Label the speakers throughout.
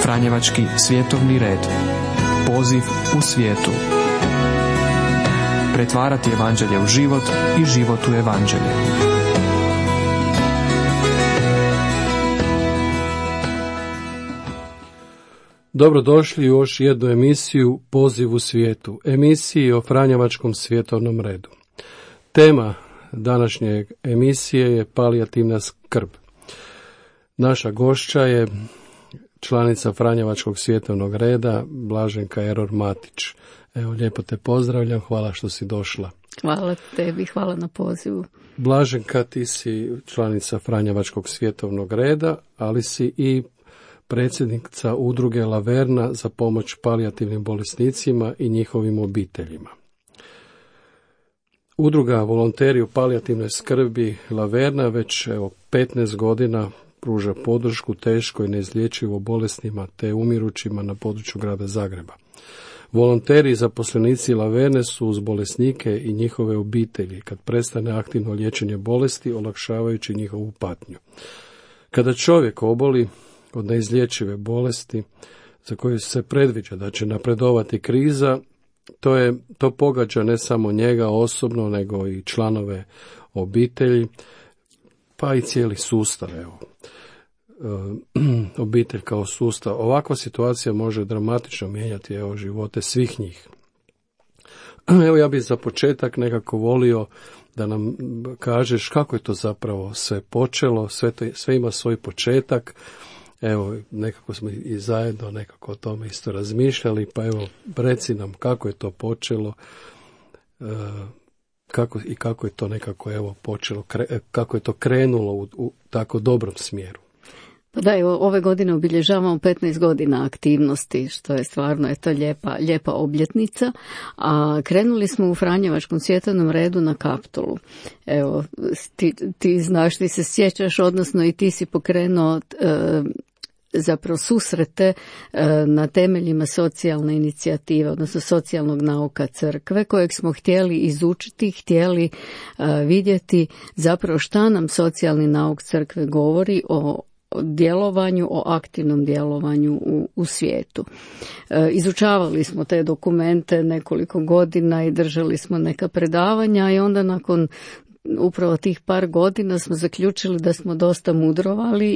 Speaker 1: Franjevački svjetovni red. Poziv u svijetu. Pretvarati evanđelje u život i život u evanđelje.
Speaker 2: Dobrodošli u još jednu emisiju Poziv u svijetu, emisiji o Franjevačkom svjetovnom redu. Tema današnje emisije je palijativna skrb. Naša gošća je članica Franjevačkog svjetovnog reda, Blaženka Error Matić. Evo, lijepo te pozdravljam, hvala što si došla.
Speaker 3: Hvala tebi, hvala na pozivu.
Speaker 2: Blaženka, ti si članica Franjevačkog svjetovnog reda, ali si i predsjednica udruge Laverna za pomoć palijativnim bolesnicima i njihovim obiteljima. Udruga Volonteri u palijativnoj skrbi Laverna već 15 godina pruža podršku teško i neizlječivo bolesnima te umirućima na području grada Zagreba. Volonteri i zaposlenici Laverne su uz bolesnike i njihove obitelji kad prestane aktivno liječenje bolesti, olakšavajući njihovu patnju. Kada čovjek oboli od neizlječive bolesti za koju se predviđa da će napredovati kriza, to pogađa ne samo njega osobno, nego i članove obitelji, pa i cijeli sustav. Obitelj kao sustav. Ovakva situacija može dramatično mijenjati živote svih njih. Evo, ja bih za početak nekako volio da nam kažeš kako je to zapravo sve počelo, sve ima svoj početak. Evo, nekako smo i zajedno nekako o tome isto razmišljali, pa evo, reci nam kako je to počelo, kako je to nekako počelo, kako je to krenulo u tako dobrom smjeru.
Speaker 3: Pa da, ove godine obilježavamo 15 godina aktivnosti, što je stvarno lijepa obljetnica, a krenuli smo u Franjevačkom svjetovnom redu na Kaptolu. Evo, ti znaš, ti se sjećaš, odnosno i ti si pokrenuo zapravo susrete na temeljima socijalne inicijative, odnosno socijalnog nauka crkve, kojeg smo htjeli izučiti, htjeli vidjeti zapravo šta nam socijalni nauk crkve govori o djelovanju, o aktivnom djelovanju u svijetu. Izučavali smo te dokumente nekoliko godina i držali smo neka predavanja i onda nakon upravo tih par godina smo zaključili da smo dosta mudrovali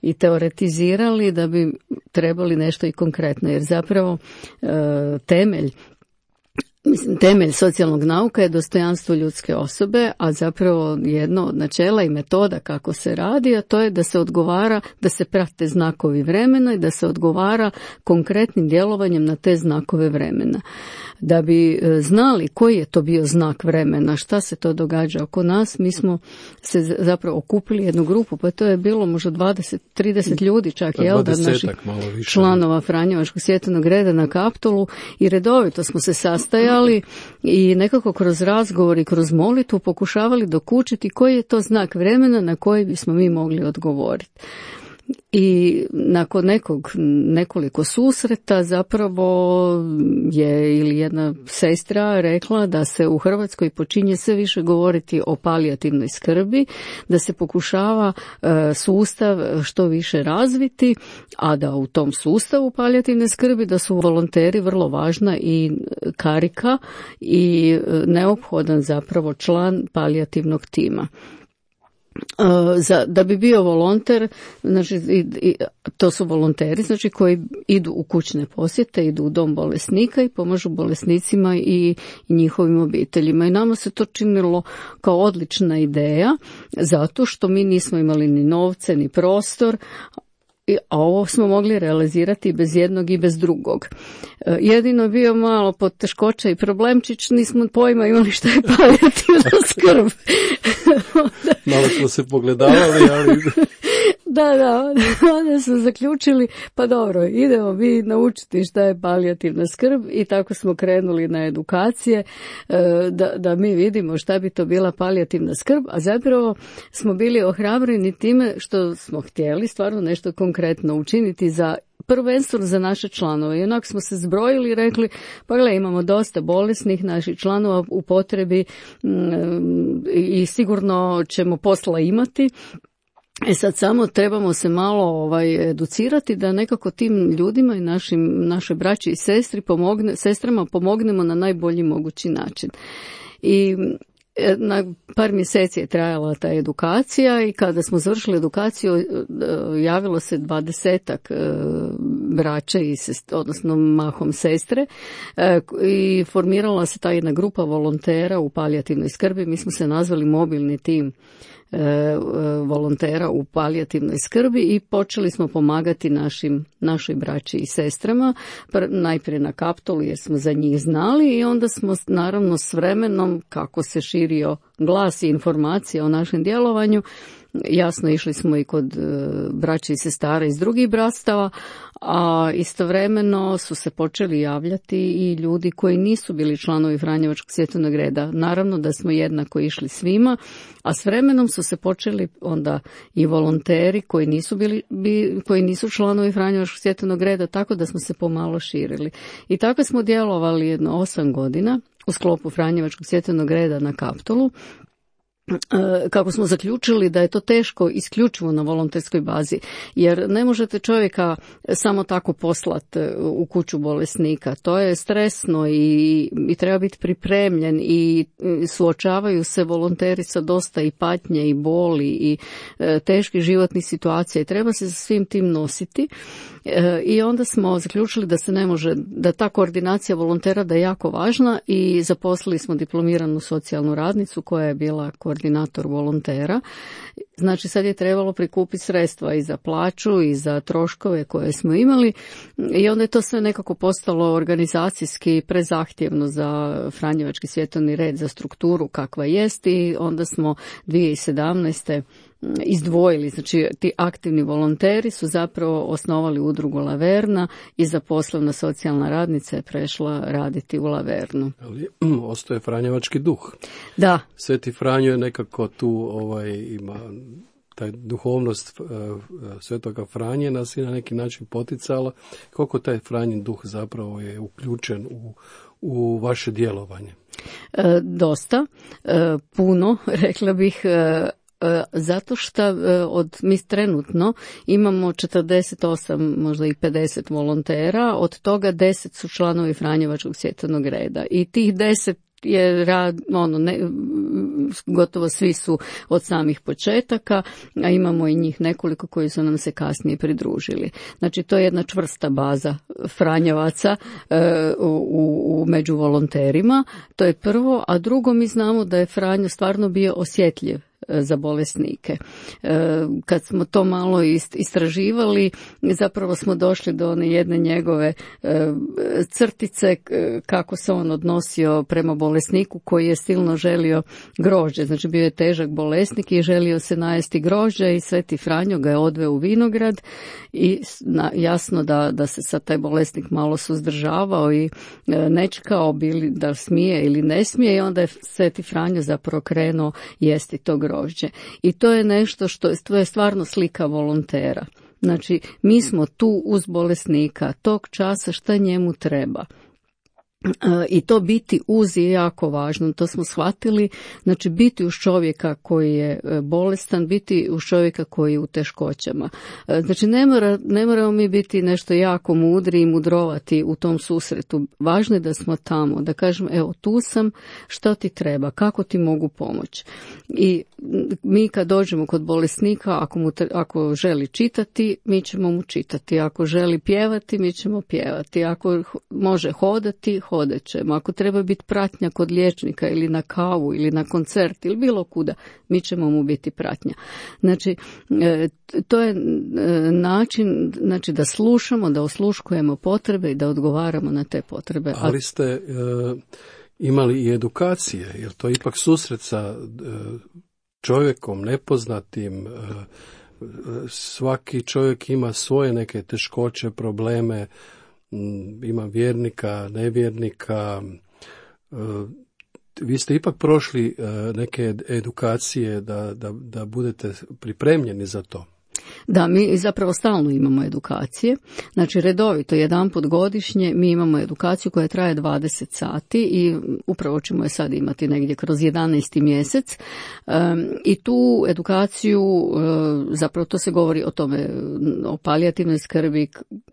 Speaker 3: i teoretizirali, da bi trebali nešto i konkretno, jer zapravo temelj socijalnog nauka je dostojanstvo ljudske osobe, a zapravo jedno od načela i metoda kako se radi, a to je da se odgovara, da se prate znakovi vremena i da se odgovara konkretnim djelovanjem na te znakove vremena. Da bi znali koji je to bio znak vremena, šta se to događa oko nas, mi smo se zapravo okupili jednu grupu, pa to je bilo možda 20-30 ljudi čak, jel da, naših članova Franjevačkog svjetovnog reda na Kaptolu, i redovito smo se sastajali i nekako kroz razgovor i kroz molitvu pokušavali dokučiti koji je to znak vremena na koji bismo mi mogli odgovoriti. I nakon nekoliko susreta zapravo je ili jedna sestra rekla da se u Hrvatskoj počinje sve više govoriti o palijativnoj skrbi, da se pokušava sustav što više razviti, a da u tom sustavu palijativne skrbi da su volonteri vrlo važna i karika i neophodan zapravo član palijativnog tima. Da bi bio volonter, znači to su volonteri, znači koji idu u kućne posjete, idu u dom bolesnika i pomažu bolesnicima i njihovim obiteljima. I nama se to činilo kao odlična ideja, zato što mi nismo imali ni novce, ni prostor, a ovo smo mogli realizirati bez jednog i bez drugog. Jedino je bio malo poteškoća i problemčić, nismo pojma imali šta je palijativna skrb.
Speaker 2: Malo smo se pogledavali, ali...
Speaker 3: Da, onda smo zaključili, pa dobro, idemo mi naučiti šta je palijativna skrb, i tako smo krenuli na edukacije da mi vidimo šta bi to bila palijativna skrb, a zapravo smo bili ohrabreni time što smo htjeli stvarno nešto konkretno učiniti prvenstveno za naše članove. I onako smo se zbrojili i rekli, pa gle, imamo dosta bolesnih naših članova u potrebi i sigurno ćemo posla imati. Sad samo trebamo se malo educirati da nekako tim ljudima i našoj braći i sestrama pomognemo na najbolji mogući način. I na par mjeseci je trajala ta edukacija i kada smo završili edukaciju javilo se 20-ak braće i odnosno mahom sestre i formirala se ta jedna grupa volontera u palijativnoj skrbi. Mi smo se nazvali mobilni tim volontera u palijativnoj skrbi i počeli smo pomagati našoj braći i sestrama, najprije na Kaptolu jer smo za njih znali i onda smo naravno s vremenom kako se širio glas i informacija o našem djelovanju, jasno išli smo i kod braća i sestara iz drugih bratstava, a istovremeno su se počeli javljati i ljudi koji nisu bili članovi Franjevačkog svjetovnog reda. Naravno da smo jednako išli svima, a s vremenom su se počeli onda i volonteri koji nisu članovi Franjevačkog svjetovnog reda, tako da smo se pomalo širili. I tako smo djelovali jedno 8 godina u sklopu Franjevačkog svjetovnog reda na Kaptolu. Kako smo zaključili da je to teško isključivo na volonterskoj bazi, jer ne možete čovjeka samo tako poslati u kuću bolesnika. To je stresno i treba biti pripremljen i suočavaju se volonteri sa dosta i patnje i boli i teških životnih situacija i treba se sa svim tim nositi. I onda smo zaključili da se ne može, da ta koordinacija volontera da je jako važna i zaposlili smo diplomiranu socijalnu radnicu koja je bila koordinator volontera. Znači sad je trebalo prikupiti sredstva i za plaću i za troškove koje smo imali i onda je to sve nekako postalo organizacijski prezahtjevno za Franjevački svjetovni red, za strukturu kakva jest i onda smo 2017. izdvojili, znači ti aktivni volonteri su zapravo osnovali udrugu Laverna i zaposlena socijalna radnica je prešla raditi u Lavernu.
Speaker 2: Ali ostaje Franjevački duh.
Speaker 3: Da.
Speaker 2: Sveti Franjo je nekako tu ima taj duhovnost Svetoga Franje nas je na neki način poticala. Koliko taj Franjin duh zapravo je uključen u vaše djelovanje?
Speaker 3: Dosta, puno, rekla bih, zato što mi trenutno imamo 48, možda i 50 volontera, od toga 10 su članovi Franjevačkog svjetovnog reda i tih 10 je gotovo svi su od samih početaka, a imamo i njih nekoliko koji su nam se kasnije pridružili. Znači to je jedna čvrsta baza Franjevaca među volonterima, to je prvo, a drugo mi znamo da je Franjo stvarno bio osjetljiv za bolesnike. Kad smo to malo istraživali, zapravo smo došli do one jedne njegove crtice kako se on odnosio prema bolesniku koji je silno želio grožđe. Znači bio je težak bolesnik i želio se najesti grožđa i Sveti Franjo ga je odveo u vinograd i jasno da se sad taj bolesnik malo suzdržavao i nečekao bili da smije ili ne smije i onda je Sveti Franjo zapravo krenuo jesti to grožđe. I to je nešto to je stvarno slika volontera. Znači, mi smo tu uz bolesnika tog časa šta njemu treba. I to biti uz je jako važno, to smo shvatili, znači biti uz čovjeka koji je bolestan, biti uz čovjeka koji je u teškoćama. Znači ne moramo mi biti nešto jako mudri i mudrovati u tom susretu, važno je da smo tamo, da kažemo evo tu sam, što ti treba, kako ti mogu pomoći. I mi kad dođemo kod bolesnika, ako želi čitati, mi ćemo mu čitati, ako želi pjevati, mi ćemo pjevati, ako može hodati, hodat ćemo. Ako treba biti pratnja kod liječnika ili na kavu ili na koncert ili bilo kuda, mi ćemo mu biti pratnja. Znači, to je način da slušamo, da osluškujemo potrebe i da odgovaramo na te potrebe.
Speaker 2: Ali ste imali i edukacije, jer to je ipak susret sa čovjekom nepoznatim, svaki čovjek ima svoje neke teškoće, probleme, ima vjernika, nevjernika. Vi ste ipak prošli neke edukacije da budete pripremljeni za to.
Speaker 3: Da, mi zapravo stalno imamo edukacije. Znači redovito, jedanput godišnje mi imamo edukaciju koja traje 20 sati i upravo ćemo je sad imati negdje kroz 11. mjesec. I tu edukaciju, zapravo to se govori o tome, o palijativnoj skrbi,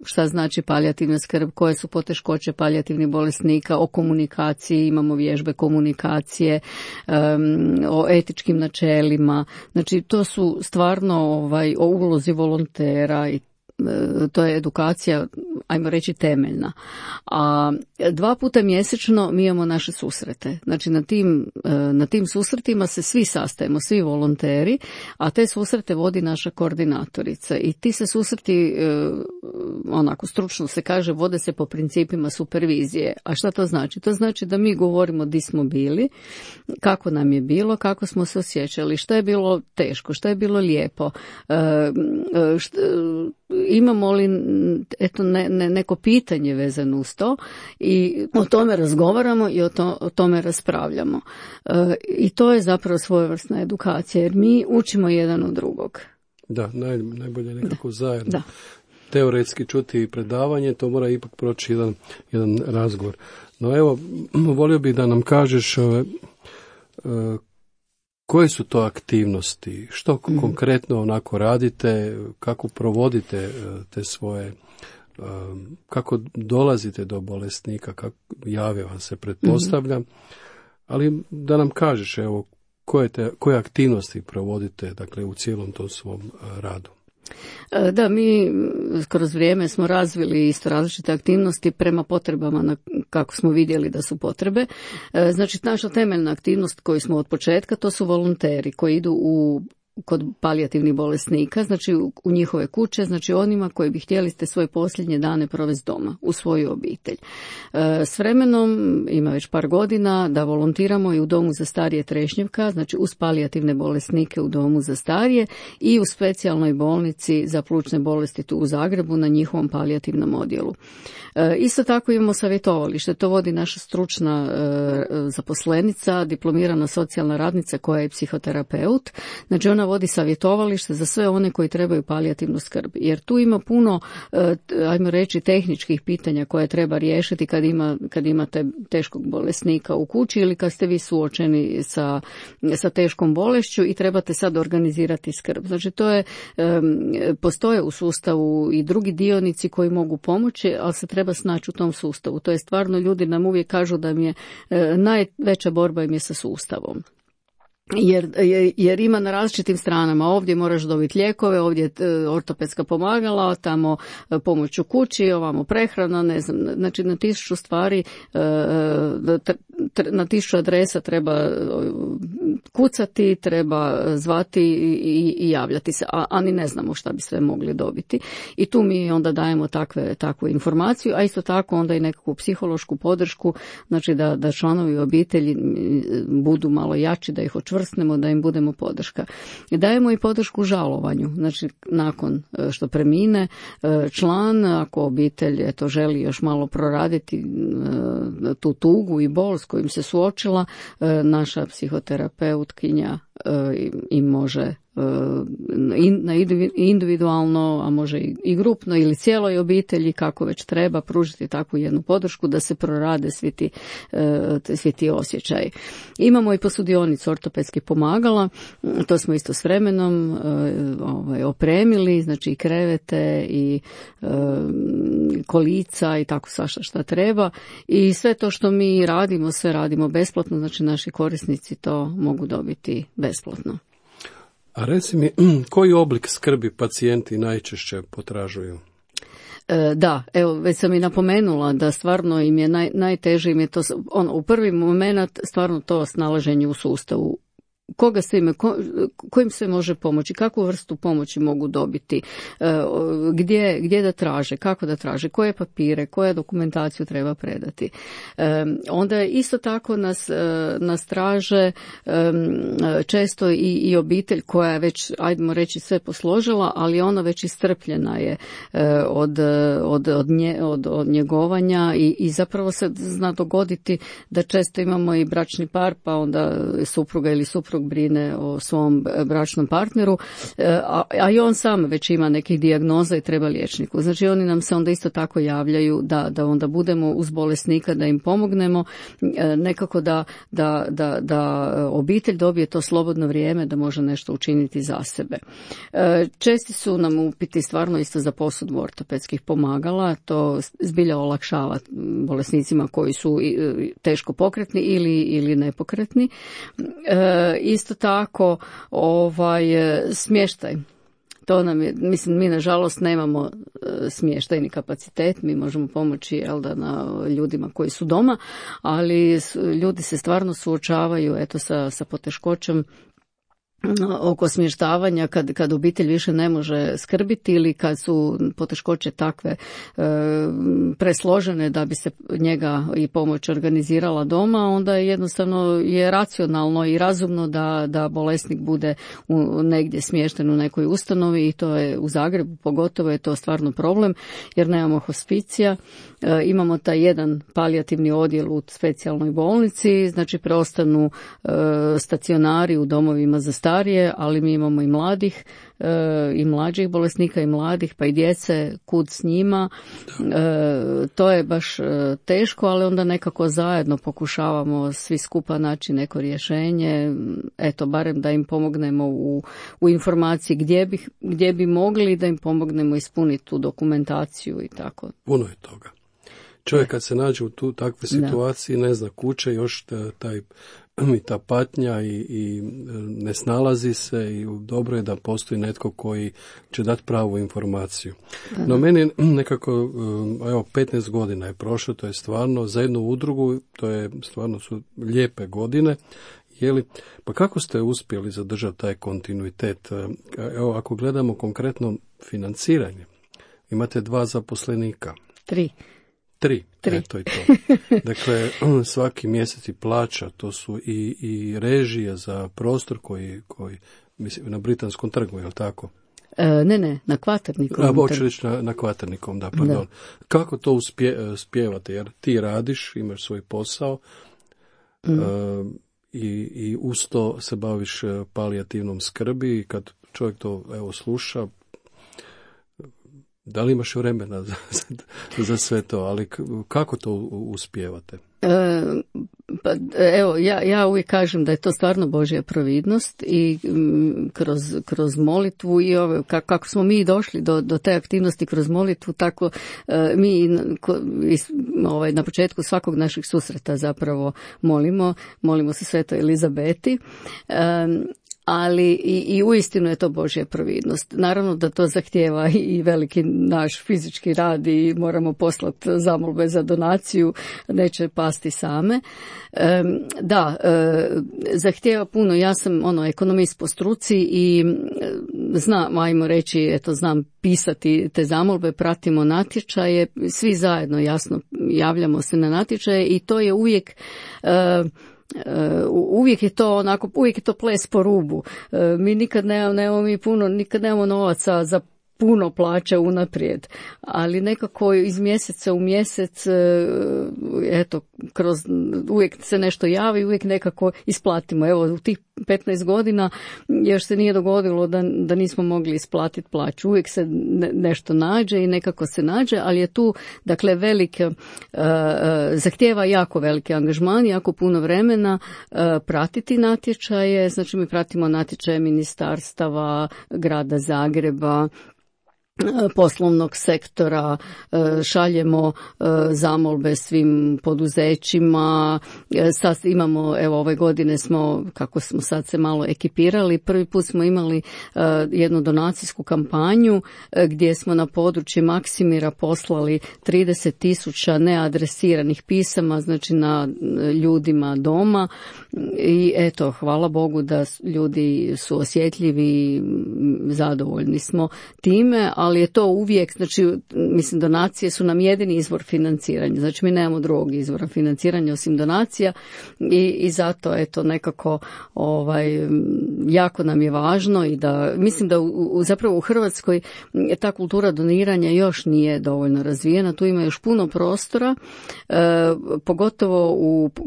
Speaker 3: šta znači palijativna skrb, koje su poteškoće palijativnih bolesnika, o komunikaciji, imamo vježbe komunikacije, o etičkim načelima. Znači to su stvarno o ulozi volontera i to je edukacija, ajmo reći, temeljna. A 2 puta mjesečno mi imamo naše susrete. Znači na tim susretima se svi sastajemo, svi volonteri, a te susrete vodi naša koordinatorica. I ti se susreti, onako stručno se kaže, vode se po principima supervizije. A šta to znači? To znači da mi govorimo di smo bili, kako nam je bilo, kako smo se osjećali, što je bilo teško, što je bilo lijepo, imamo li neko pitanje vezano uz to i o tome razgovaramo i o tome raspravljamo. I to je zapravo svojevrsna edukacija jer mi učimo jedan od drugog.
Speaker 2: Da, najbolje nekako zajedno. Da. Teoretski čuti predavanje, to mora ipak proći jedan razgovor. No evo, volio bih da nam kažeš koje su to aktivnosti, što konkretno onako radite, kako provodite te svoje, kako dolazite do bolesnika, kako jave vam se, pretpostavljam, ali da nam kažeš evo koje aktivnosti provodite, dakle, u cijelom tom svom radu.
Speaker 3: Da, mi kroz vrijeme smo razvili isto različite aktivnosti prema potrebama kako smo vidjeli da su potrebe. Znači, naša temeljna aktivnost koju smo od početka, to su volonteri koji idu kod palijativnih bolesnika, znači u njihove kuće, znači onima koji bi htjeli te svoje posljednje dane provesti doma, u svoju obitelj. S vremenom, ima već par godina, da volontiramo i u domu za starije Trešnjevka, znači uz palijativne bolesnike u domu za starije i u specijalnoj bolnici za plućne bolesti tu u Zagrebu na njihovom palijativnom odjelu. Isto tako imamo savjetovalište, to vodi naša stručna zaposlenica, diplomirana socijalna radnica koja je psihoterapeut, znači ona vodi savjetovalište za sve one koji trebaju palijativnu skrb, jer tu ima puno, ajmo reći, tehničkih pitanja koje treba riješiti kad imate teškog bolesnika u kući ili kad ste vi suočeni sa teškom bolešću i trebate sad organizirati skrb. Znači to je, postoje u sustavu i drugi dionici koji mogu pomoći, ali se treba snaći u tom sustavu. To je stvarno, ljudi nam uvijek kažu da mi je najveća borba im je sa sustavom. Jer ima na različitim stranama, ovdje moraš dobiti lijekove, ovdje ortopedska pomagala, tamo pomoć u kući, ovamo prehrana, ne znam, znači na 1000 stvari, na 1000 adresa treba kucati, treba zvati i javljati se, a ni ne znamo šta bi sve mogli dobiti. I tu mi onda dajemo takvu informaciju, a isto tako onda i nekakvu psihološku podršku, znači da članovi obitelji budu malo jači, da ih očvrsnemo, da im budemo podrška. I dajemo i podršku žalovanju, znači nakon što premine član, ako obitelj želi još malo proraditi tu tugu i bol s kojim se suočila, naša psihoterapeutkinja im može individualno, a može i grupno ili cijeloj obitelji, kako već treba, pružiti takvu jednu podršku da se prorade svi ti osjećaji. Imamo i posudionicu ortopedskih pomagala, to smo isto s vremenom opremili, znači i krevete i kolica i tako svašta šta treba, i sve to što mi radimo, sve radimo besplatno, znači naši korisnici to mogu dobiti besplatno.
Speaker 2: A reci mi, koji oblik skrbi pacijenti najčešće potražuju?
Speaker 3: Da, evo, već sam i napomenula da stvarno im je najteže, im je to, u prvi moment stvarno to snalaženje u sustavu. Koga se ime, kojim se može pomoći, kakvu vrstu pomoći mogu dobiti, gdje da traže, kako da traže, koje papire, koja dokumentaciju treba predati. Onda isto tako nas traže često i obitelj koja je već, ajdemo reći, sve posložila, ali ona već iscrpljena je od njegovanja i zapravo se zna dogoditi da često imamo i bračni par, pa onda supruga ili suprug suprug brine o svom bračnom partneru, a i on sam već ima nekih dijagnoza i treba liječniku. Znači oni nam se onda isto tako javljaju da onda budemo uz bolesnika, da im pomognemo, nekako da obitelj dobije to slobodno vrijeme da može nešto učiniti za sebe. Česti su nam upiti stvarno isto za posudbu ortopedskih pomagala, to zbilja olakšava bolesnicima koji su teško pokretni ili nepokretni. Isto tako smještaj. To nam je, mislim, mi nažalost nemamo smještajni kapacitet, mi možemo pomoći na ljudima koji su doma, ali ljudi se stvarno suočavaju sa poteškoćom oko smještavanja kad obitelj više ne može skrbiti ili kad su poteškoće takve presložene da bi se njega i pomoć organizirala doma, onda jednostavno je racionalno i razumno da bolesnik bude negdje smješten u nekoj ustanovi, i to je u Zagrebu pogotovo je to stvarno problem jer nemamo hospicija. Imamo taj jedan palijativni odjel u specijalnoj bolnici, znači preostanu stacionari u domovima za starije, ali mi imamo i mladih i mlađih bolesnika i mladih, pa i djece, kud s njima. To je baš teško, ali onda nekako zajedno pokušavamo svi skupa naći neko rješenje, barem da im pomognemo u informaciji gdje bi mogli, da im pomognemo ispuniti tu dokumentaciju i tako.
Speaker 2: Puno je toga. Čovjek kad se nađe u takve situacije, ne zna kuće, još ta patnja i ne snalazi se, i dobro je da postoji netko koji će dati pravu informaciju. No meni nekako, 15 godina je prošlo, to je stvarno za jednu udrugu, to je stvarno su lijepe godine. Pa kako ste uspjeli zadržati taj kontinuitet? Evo, ako gledamo konkretno financiranje, imate 2 zaposlenika.
Speaker 3: 3.
Speaker 2: To je to. Dakle, svaki mjesec i plaća, to su i režije za prostor koji mislim, na Britanskom trgu, je li tako?
Speaker 3: Ne, na Kvaternikom.
Speaker 2: Hoću reći na Kvaternikom, da, pardon. Kako to uspijevate? Jer ti radiš, imaš svoj posao, i uz to se baviš palijativnom skrbi, i kad čovjek to sluša, da li imaš vremena za sve to, ali kako to uspijevate?
Speaker 3: Ja uvijek kažem da je to stvarno Božja providnost, i kroz molitvu i kako smo mi došli do te aktivnosti kroz molitvu, tako mi na početku svakog naših susreta zapravo molimo se Svetoj Elizabeti. Ali i uistinu je to Božja providnost. Naravno da to zahtijeva i veliki naš fizički rad i moramo poslati zamolbe za donaciju, neće pasti same. Zahtijeva puno. Ja sam ekonomist po struci i znam pisati te zamolbe, pratimo natječaje, svi zajedno jasno javljamo se na natječaje, i to je uvijek uvijek je to ples po rubu. Mi nikad nemamo novaca za puno plaće unaprijed, ali nekako iz mjeseca u mjesec uvijek se nešto javi, uvijek nekako isplatimo. Evo, u tih 15 godina još se nije dogodilo da nismo mogli isplatiti plaću. Uvijek se nešto nađe i nekako se nađe, ali je tu velike, zahtijeva jako veliki angažman, jako puno vremena pratiti natječaje. Znači mi pratimo natječaje ministarstava, grada Zagreba, poslovnog sektora, šaljemo zamolbe svim poduzećima. Sad imamo, ove godine kako smo sad se malo ekipirali, prvi put smo imali jednu donacijsku kampanju gdje smo na području Maksimira poslali 30.000 neadresiranih pisama, znači na ljudima doma, i hvala Bogu da ljudi su osjetljivi i zadovoljni smo time, ali ali je to uvijek, znači, mislim, donacije su nam jedini izvor financiranja, znači mi nemamo drugog izvora financiranja osim donacija i zato eto nekako jako nam je važno i da, mislim da zapravo u Hrvatskoj ta kultura doniranja još nije dovoljno razvijena, tu ima još puno prostora, pogotovo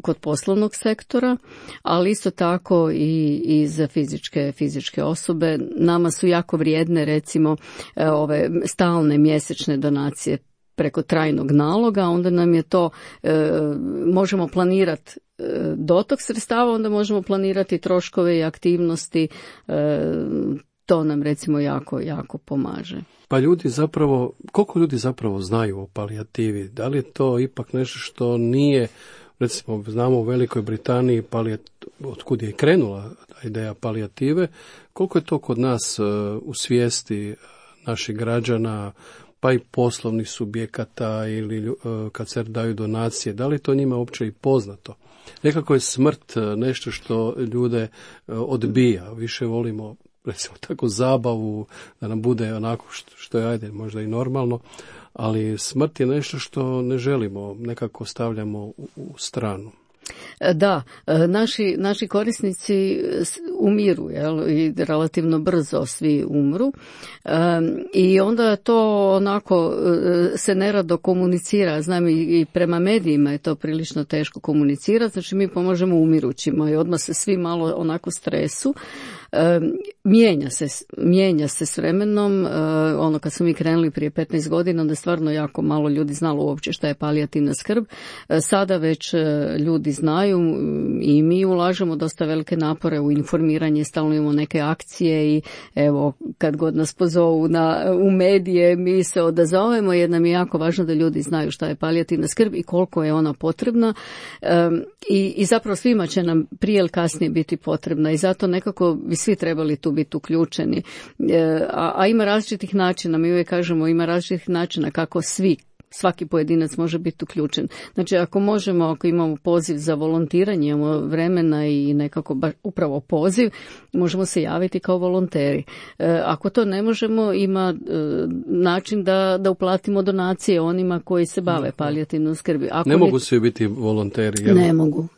Speaker 3: kod poslovnog sektora, ali isto tako i za fizičke osobe. Nama su jako vrijedne recimo ove stalne mjesečne donacije preko trajnog naloga, onda nam je to, možemo planirati dotok sredstava, onda možemo planirati troškove i aktivnosti, to nam recimo jako pomaže.
Speaker 2: Pa ljudi zapravo, koliko ljudi zapravo znaju o palijativi? Da li je to ipak nešto što nije, recimo znamo u Velikoj Britaniji otkud je krenula ideja palijative, koliko je to kod nas u svijesti naših građana, pa i poslovnih subjekata ili kad se daju donacije, da li to njima uopće i poznato? Nekako je smrt nešto što ljude odbija, više volimo recimo tako zabavu, da nam bude onako što je ajde možda i normalno, ali smrt je nešto što ne želimo, nekako stavljamo u stranu.
Speaker 3: Da, naši korisnici umiru, jel, i relativno brzo svi umru, i onda to onako se nerado komunicira, znam i prema medijima je to prilično teško komunicirati, znači mi pomažemo umirućima i odmah se svi malo onako stresu. Mijenja se s vremenom, kad smo mi krenuli prije 15 godina, onda je stvarno jako malo ljudi znalo uopće šta je palijativna skrb. Sada već ljudi znaju i mi ulažemo dosta velike napore u informiranje, stalno imamo neke akcije i evo, kad god nas pozovu u medije, mi se odazovemo jer nam je jako važno da ljudi znaju šta je palijativna skrb i koliko je ona potrebna, i zapravo svima će nam prije ili kasnije biti potrebna i zato nekako bi svi trebali tu biti uključeni. A ima različitih načina, mi uvijek kažemo ima različitih načina kako svaki pojedinac može biti uključen. Znači ako imamo poziv za volontiranje, imamo vremena i nekako upravo poziv, možemo se javiti kao volonteri. Ako to ne možemo, ima način da uplatimo donacije onima koji se bave palijativnom skrbi.
Speaker 2: Ne mogu svi biti volonteri. Jel?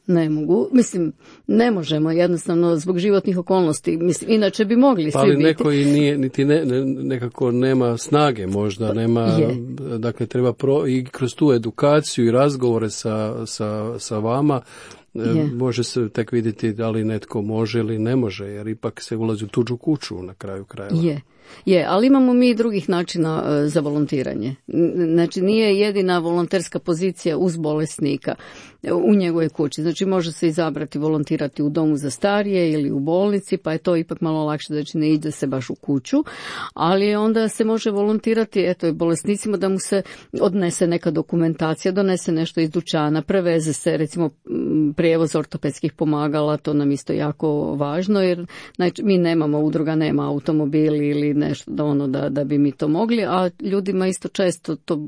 Speaker 3: Ne mogu. Mislim, ne možemo jednostavno zbog životnih okolnosti. Mislim, inače bi mogli svi biti.
Speaker 2: Ali neko i nije, niti nekako nema snage možda, dakle treba i kroz tu edukaciju i razgovore sa vama može se tek vidjeti da li netko može ili ne može, jer ipak se ulazi u tuđu kuću na kraju krajeva.
Speaker 3: Je, ali imamo mi i drugih načina za volontiranje. Znači nije jedina volonterska pozicija uz bolesnika u njegovoj kući. Znači može se izabrati volontirati u domu za starije ili u bolnici, pa je to ipak malo lakše, znači ne ide se baš u kuću, ali onda se može volontirati i bolesnicima da mu se odnese neka dokumentacija, donese nešto iz dućana, preveze se recimo prijevoz ortopedskih pomagala, to nam isto jako važno jer znači, mi nemamo, udruga nema automobili ili nešto da bi mi to mogli, a ljudima isto često to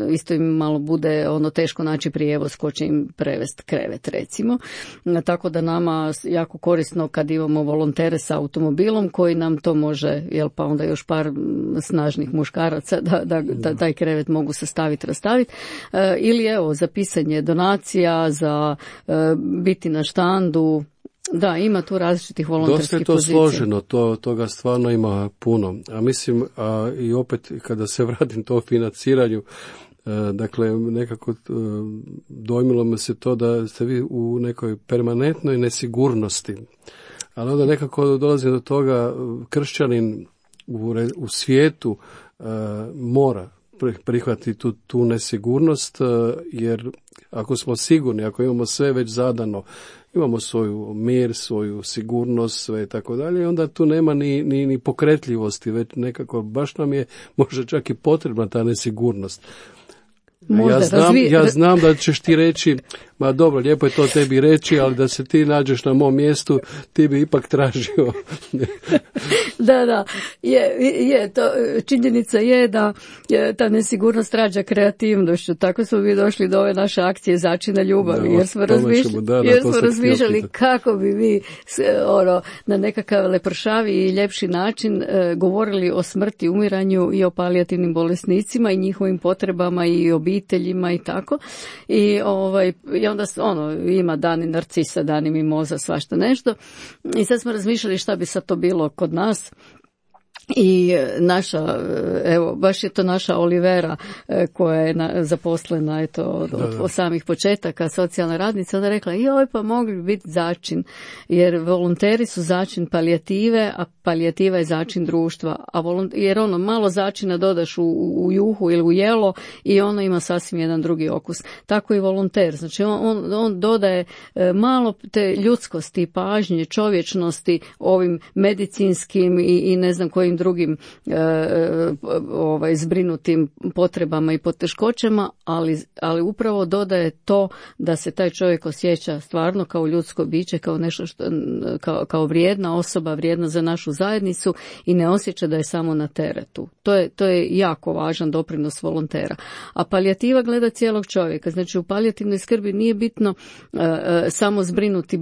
Speaker 3: isto im malo bude teško naći prijevoz ko će im prevesti krevet recimo. Tako da nama jako korisno kad imamo volontere sa automobilom koji nam to može, pa onda još par snažnih muškaraca da taj krevet mogu sastaviti, rastaviti. Ili za pisanje donacija, za biti na štandu. Da, ima tu različitih volonterskih pozicija.
Speaker 2: Dosta je to složeno, toga stvarno ima puno. A mislim, i opet kada se vratim to financiranju, dakle, nekako dojmilo me se to da ste vi u nekoj permanentnoj nesigurnosti. Ali onda nekako dolazi do toga, kršćanin u svijetu mora prihvatiti tu nesigurnost, jer ako smo sigurni, ako imamo sve već zadano, imamo svoju mir, svoju sigurnost, sve i tako dalje, onda tu nema ni pokretljivosti, već nekako baš nam je možda čak i potrebna ta nesigurnost. Ja znam da ćeš ti reći, Ma dobro, lijepo je to tebi reći, ali da se ti nađeš na mom mjestu, ti bi ipak tražio.
Speaker 3: Da, to činjenica je da ta nesigurnost rađa kreativnošću. Tako smo mi došli do ove naše akcije Začina ljubavi, jer smo razmišljali kako bi mi na nekakav lepršavi i ljepši način govorili o smrti, umiranju i o palijativnim bolesnicima i njihovim potrebama i obiteljima i tako. I onda ima dani narcisa, dani mimoza, svašta nešto. I sad smo razmišljali šta bi sad to bilo kod nas. I naša, evo, baš je to naša Olivera koja je zaposlena od samih početaka, socijalna radnica, onda rekla, pa mogli bi biti začin, jer volonteri su začin palijative, a palijativa je začin društva, jer malo začina dodaš u juhu ili u jelo i ono ima sasvim jedan drugi okus. Tako i volonter, znači on dodaje malo te ljudskosti, pažnje, čovječnosti ovim medicinskim i ne znam kojim drugim zbrinutim potrebama i poteškoćama, ali upravo dodaje to da se taj čovjek osjeća stvarno kao ljudsko biće, kao nešto kao vrijedna osoba, vrijedna za našu zajednicu i ne osjeća da je samo na teretu. To je jako važan doprinos volontera. A palijativa gleda cijelog čovjeka. Znači u palijativnoj skrbi nije bitno samo zbrinuti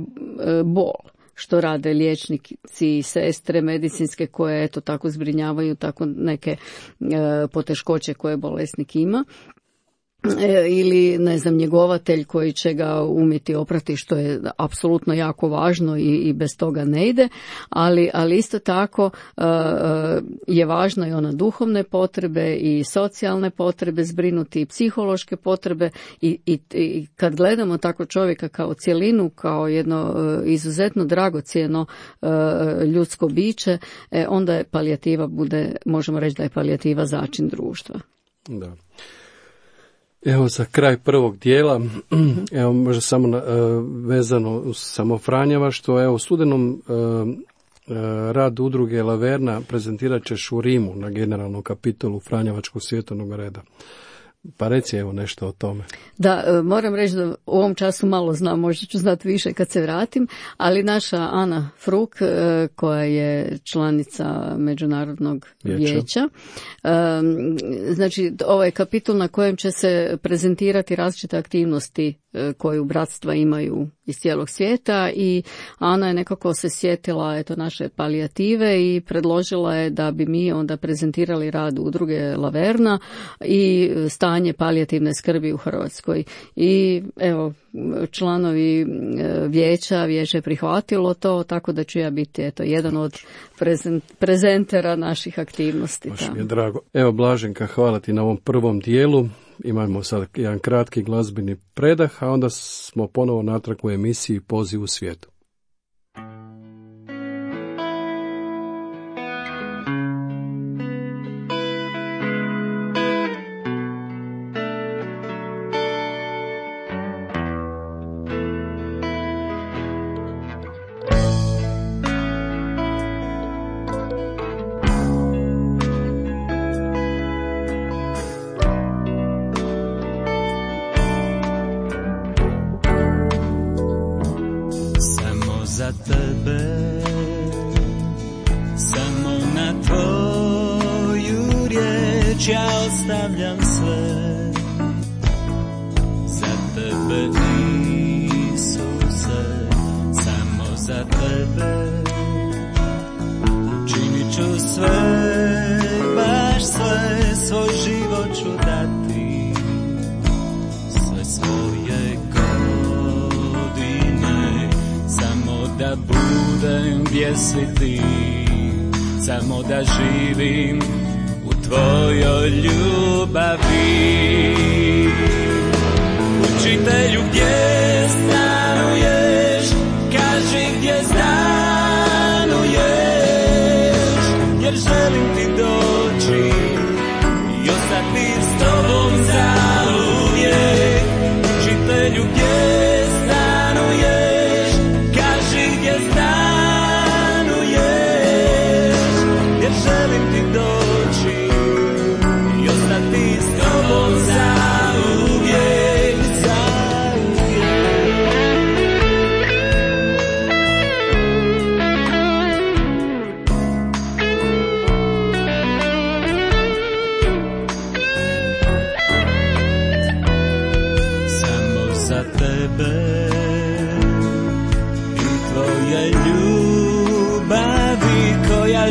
Speaker 3: bol, što rade liječnici i sestre medicinske koje tako zbrinjavaju tako neke poteškoće koje bolesnik ima. Ili, ne znam, njegovatelj koji će ga umjeti oprati, što je apsolutno jako važno i bez toga ne ide, ali isto tako je važno i ona duhovne potrebe i socijalne potrebe zbrinuti i psihološke potrebe i kad gledamo tako čovjeka kao cjelinu, kao jedno izuzetno dragocjeno ljudsko biće, onda je palijativa možemo reći da je palijativa začin društva.
Speaker 2: Da. Evo za kraj prvog dijela, evo možda samo vezano uz samofranjavaštvo, evo u studenom rad udruge Laverna prezentirat ćeš u Rimu na generalnom kapitolu Franjevačkog svjetovnog reda. Pa reci evo nešto o tome. Da,
Speaker 3: moram reći da u ovom času malo znam, možda ću znati više kad se vratim, ali naša Ana Fruk, koja je članica Međunarodnog vijeća, znači ovaj kapitol na kojem će se prezentirati različite aktivnosti koju bratstva imaju iz cijelog svijeta i Ana je nekako se sjetila naše palijative i predložila je da bi mi onda prezentirali rad udruge Laverna i stanje palijativne skrbi u Hrvatskoj. I evo, članovi vijeće je prihvatilo to, tako da ću ja biti jedan od prezentera naših aktivnosti.
Speaker 2: Baš mi je drago. Evo Blaženka, hvala ti na ovom prvom dijelu. Imamo sad jedan kratki glazbeni predah, a onda smo ponovo natrag u emisiji Poziv u svijetu.
Speaker 4: za tebe, samo na tvoju riječ ja ostavljam sve. Za tebe, Isuse, samo za tebe, činit ću sve, baš sve, svoj život ću dati, sve svoje godine, samo da budem gdje si ti, samo da živim u tvojoj ljubavi. Učitelju, gdje stanuješ, kaži gdje stanuješ, jer želim ti doći i ostati s tobom zauvijek. Učitelju, gdje stanuješ, kaži gdje stanuješ, jer želim ti doći i ostati s tobom zauvijek, zauvijek.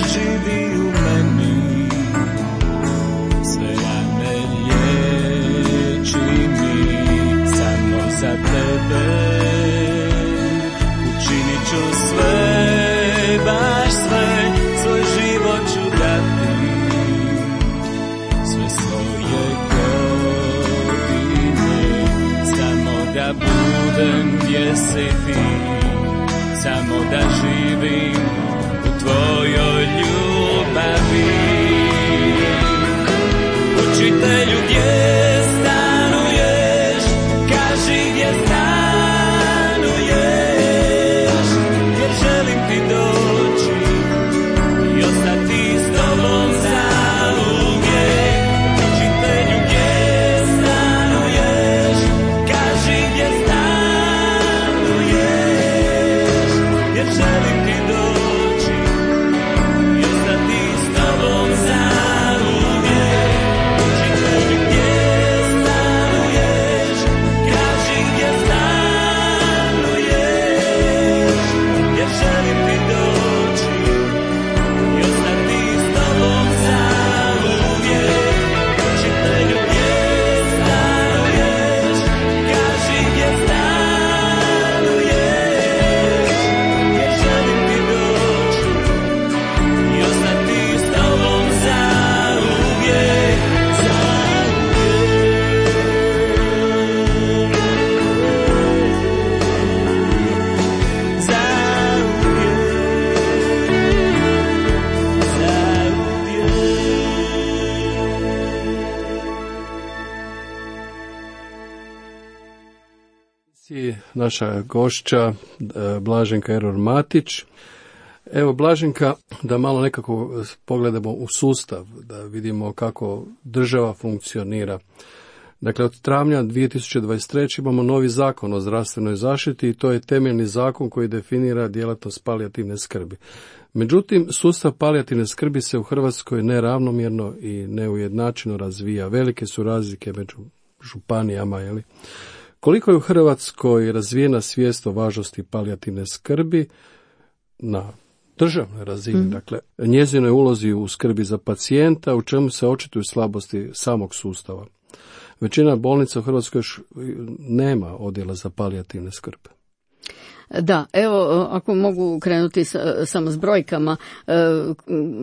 Speaker 4: živi u meni, sve rane liječi mi, samo za tebe učinit ću sve, baš sve, svoj život ću dati, sve svoje godine, samo da budem gdje si ti, samo da živim u tvojoj ljubavi. Učitelju, gdje stanuješ, kaži gdje stanuješ, jer želim ti doći i ostati s tobom zauvijek. Učitelju, gdje stanuješ, kaži gdje stanuješ, jer želim ti doći i ostati s tobom zauvijek. Učitelju, gdje stanuješ, kaži gdje stanuješ, jer želim ti doći i ostati s tobom zauvijek. Učitelju, gdje stanuješ, kaži gdje stanuješ, jer želim ti doći i ostati s tobom zauvijek,
Speaker 2: Naša gošća Blaženka Error-Matić. Evo Blaženka, da malo nekako pogledamo u sustav, da vidimo kako država funkcionira. Dakle, od travnja 2023. imamo novi zakon o zdravstvenoj zaštiti i to je temeljni zakon koji definira djelatnost palijativne skrbi. Međutim, sustav palijativne skrbi se u Hrvatskoj neravnomjerno i neujednačeno razvija. Velike su razlike među županijama, jeli? Koliko je u Hrvatskoj razvijena svijest o važnosti palijativne skrbi na državnoj razini, dakle, njezinoj ulozi u skrbi za pacijenta, u čemu se očituju slabosti samog sustava? Većina bolnica u Hrvatskoj još nema odjela za palijativne skrbi.
Speaker 3: Da, evo, ako mogu krenuti samo s brojkama,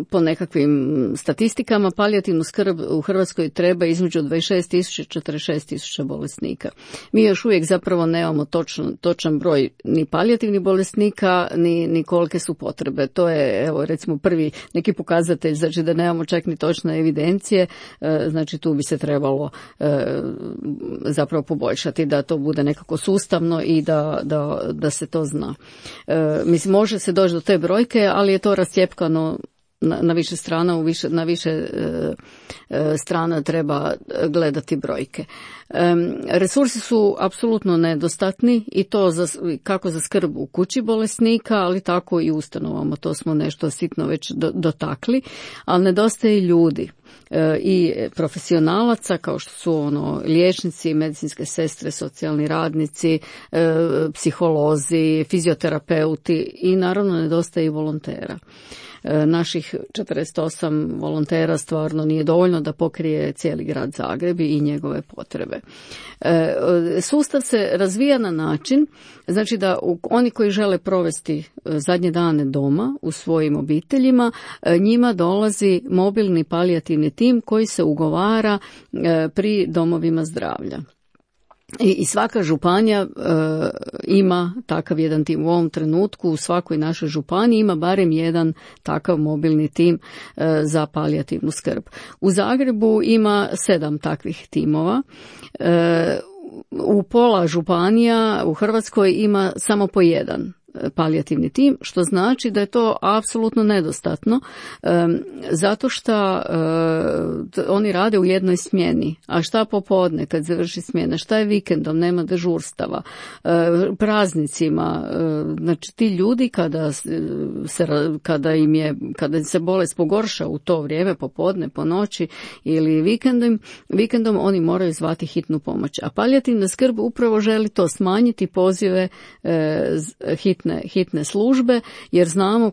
Speaker 3: po nekakvim statistikama, palijativnu skrb u Hrvatskoj treba između 26.000 i 46.000 bolesnika. Mi još uvijek zapravo nemamo točan broj ni palijativnih bolesnika, ni kolike su potrebe. To je, evo, recimo prvi neki pokazatelj, znači da nemamo čak ni točne evidencije, znači tu bi se trebalo zapravo poboljšati, da to bude nekako sustavno i da se to zna. Mislim, može se doći do te brojke, ali je to rascjepkano na više strana, na više strana treba gledati brojke. Resursi su apsolutno nedostatni i to kako za skrb u kući bolesnika, ali tako i ustanovama. To smo nešto sitno već dotakli, ali nedostaje ljudi i profesionalaca kao što su liječnici, medicinske sestre, socijalni radnici, psiholozi, fizioterapeuti i naravno nedostaje i volontera. Naših 48 volontera stvarno nije dovoljno da pokrije cijeli grad Zagreb i njegove potrebe. Sustav se razvija na način, znači da oni koji žele provesti zadnje dane doma u svojim obiteljima, njima dolazi mobilni palijativni tim koji se ugovara pri domovima zdravlja. I svaka županija ima takav jedan tim. U ovom trenutku u svakoj našoj županiji ima barem jedan takav mobilni tim za palijativnu skrb. U Zagrebu ima 7 takvih timova. U pola županija u Hrvatskoj ima samo po jedan palijativni tim, što znači da je to apsolutno nedostatno, zato što oni rade u jednoj smjeni, a šta popodne kad završi smjena, šta je vikendom, nema dežurstava, praznicima, znači ti ljudi kada se bolest pogorša u to vrijeme, popodne, po noći ili vikendom oni moraju zvati hitnu pomoć, a palijativna skrb upravo želi to smanjiti pozive hitne službe, jer znamo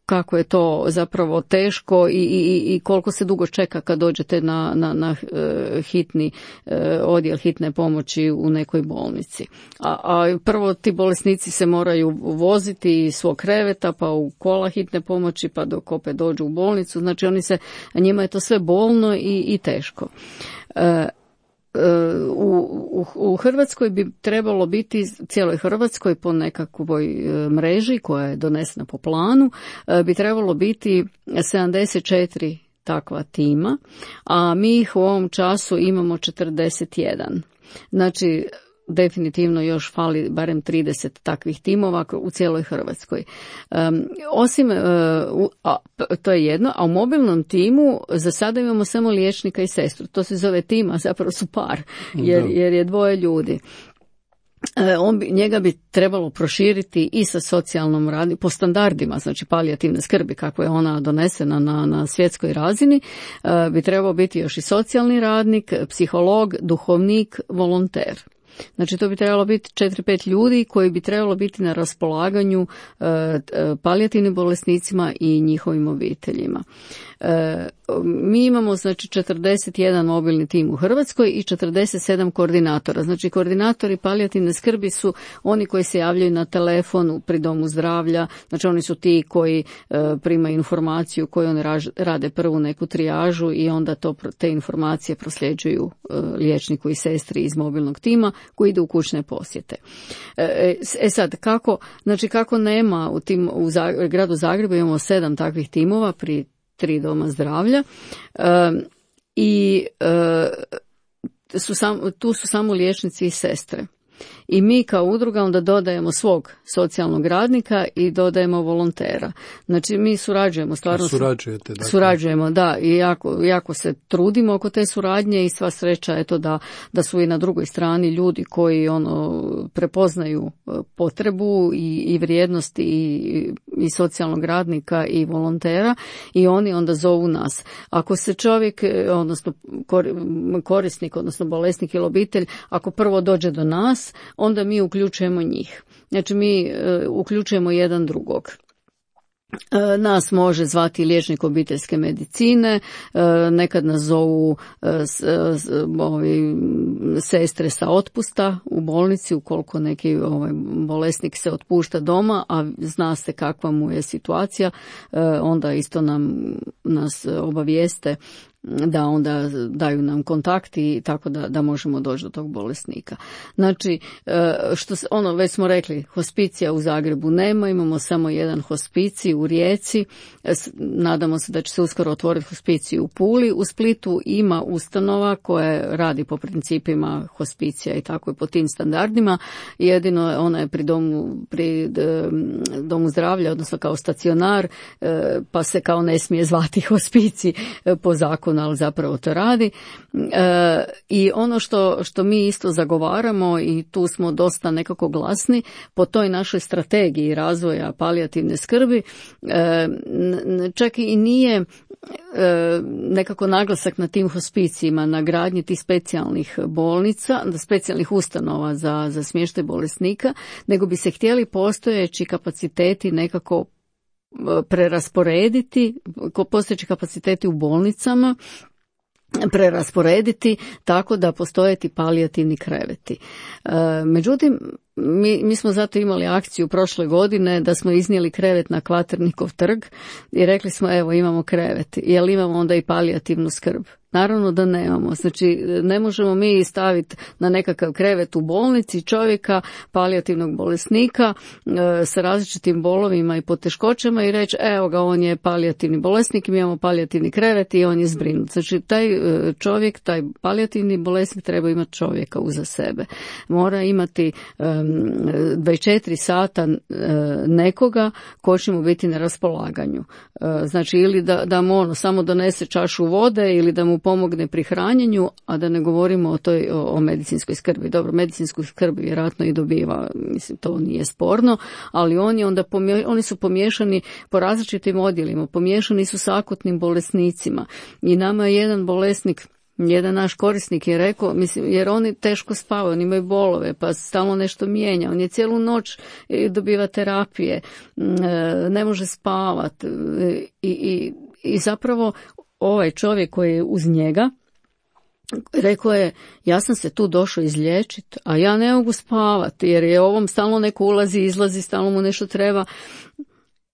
Speaker 3: kako je to zapravo teško i koliko se dugo čeka kad dođete na hitni odjel hitne pomoći u nekoj bolnici. A prvo ti bolesnici se moraju voziti iz svog kreveta pa u kola hitne pomoći pa dok opet dođu u bolnicu. Znači njima je to sve bolno i teško. U Hrvatskoj bi trebalo biti, cijeloj Hrvatskoj po nekakvoj mreži koja je donesena po planu, bi trebalo biti 74 takva tima, a mi ih u ovom času imamo 41. Znači, definitivno još fali barem 30 takvih timova u cijeloj Hrvatskoj. Osim, to je jedno, a u mobilnom timu za sada imamo samo liječnika i sestru. To se zove tim, a zapravo su par, jer je dvoje ljudi. Njega bi trebalo proširiti i sa socijalnom radnjom, po standardima, znači palijativne skrbi, kako je ona donesena na svjetskoj razini, bi trebao biti još i socijalni radnik, psiholog, duhovnik, volonter. Znači to bi trebalo biti 4-5 ljudi koji bi trebalo biti na raspolaganju palijativnim bolesnicima i njihovim obiteljima. Mi imamo znači 41 mobilni tim u Hrvatskoj i 47 koordinatora. Znači koordinatori palijativne skrbi su oni koji se javljaju na telefon pri domu zdravlja, znači oni su ti koji primaju informaciju, koji oni rade prvu neku trijažu i onda te informacije prosljeđuju liječniku i sestri iz mobilnog tima koji ide u kućne posjete. Sad, kako nema u gradu Zagrebu imamo 7 takvih timova pri 3 doma zdravlja i tu su samo liječnici i sestre. I mi kao udruga onda dodajemo svog socijalnog radnika i dodajemo volontera. Znači mi surađujemo, stvarno
Speaker 2: surađujete, dakle.
Speaker 3: Surađujemo, da, i jako se trudimo oko te suradnje i sva sreća je to da su i na drugoj strani ljudi koji prepoznaju potrebu i vrijednosti i socijalnog radnika i volontera i oni onda zovu nas. Ako se čovjek, odnosno korisnik, odnosno bolesnik ili obitelj, ako prvo dođe do nas, onda mi uključujemo njih. Znači mi uključujemo jedan drugog. Nas može zvati liječnik obiteljske medicine, nekad nas zovu sestre sa otpusta u bolnici ukoliko neki bolesnik se otpušta doma, a zna se kakva mu je situacija, onda isto nas obavijeste da onda daju nam kontakt i tako da možemo doći do tog bolesnika. Znači, već smo rekli, hospicija u Zagrebu nema, imamo samo jedan hospicij u Rijeci, nadamo se da će se uskoro otvoriti hospicij u Puli, u Splitu ima ustanova koja radi po principima hospicija i tako i po tim standardima, jedino ona je pri domu zdravlja, odnosno kao stacionar, pa se kao ne smije zvati hospicij po zakonu, ali zapravo to radi. I ono što mi isto zagovaramo i tu smo dosta nekako glasni po toj našoj strategiji razvoja palijativne skrbi, čak i nije nekako naglasak na tim hospicijima, na gradnji tih specijalnih bolnica, specijalnih ustanova za smještaj bolesnika, nego bi se htjeli postojeći kapaciteti nekako prerasporediti, postojeći kapaciteti u bolnicama, prerasporediti tako da postoje ti palijativni kreveti. Međutim, mi smo zato imali akciju prošle godine da smo iznijeli krevet na Kvaternikov trg i rekli smo evo imamo krevet, jel imamo onda i palijativnu skrb? Naravno da nemamo. Znači ne možemo mi staviti na nekakav krevet u bolnici čovjeka, palijativnog bolesnika sa različitim bolovima i poteškoćama i reći evo ga on je palijativni bolesnik, mi imamo palijativni krevet i on je zbrinut. Znači taj čovjek, taj palijativni bolesnik treba imati čovjeka uza sebe. Mora imati 24 sata nekoga ko će mu biti na raspolaganju. Znači ili da mu samo donese čašu vode ili da mu pomogne pri hranjenju, a da ne govorimo o medicinskoj skrbi. Dobro, medicinsku skrb vjerojatno i dobiva, mislim to nije sporno, ali oni su pomiješani po različitim odjelima, pomiješani su s akutnim bolesnicima i nama je jedan bolesnik Jedan naš korisnik je rekao, mislim, jer oni teško spavaju, oni imaju bolove, pa stalno nešto mijenja. On je cijelu noć dobiva terapije, ne može spavati i zapravo ovaj čovjek koji je uz njega rekao je, ja sam se tu došao izliječiti, a ja ne mogu spavati jer je ovom stalno neko ulazi, izlazi, stalno mu nešto treba.